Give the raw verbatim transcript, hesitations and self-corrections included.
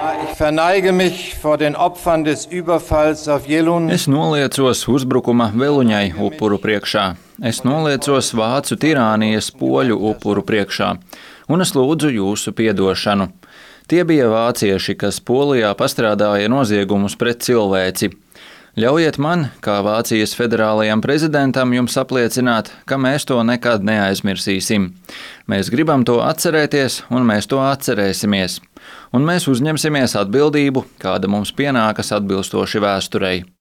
Ich verneige mich vor den Opfern des Überfalls auf Jelun. Es noliecos uzbrukuma Veluņai upuru priekšā. Es noliecos vācu tirānijas poļu upuru priekšā. Un es lūdzu jūsu piedošanu. Tie bija vācieši, kas Polijā pastrādāja noziegumus pret cilvēci. Ļaujiet man, kā Vācijas federālajam prezidentam, jums apliecināt, ka mēs to nekad neaizmirsīsim. Mēs gribam to atcerēties, un mēs to atcerēsimies. Un mēs uzņemsimies atbildību, kāda mums pienākas atbilstoši vēsturei.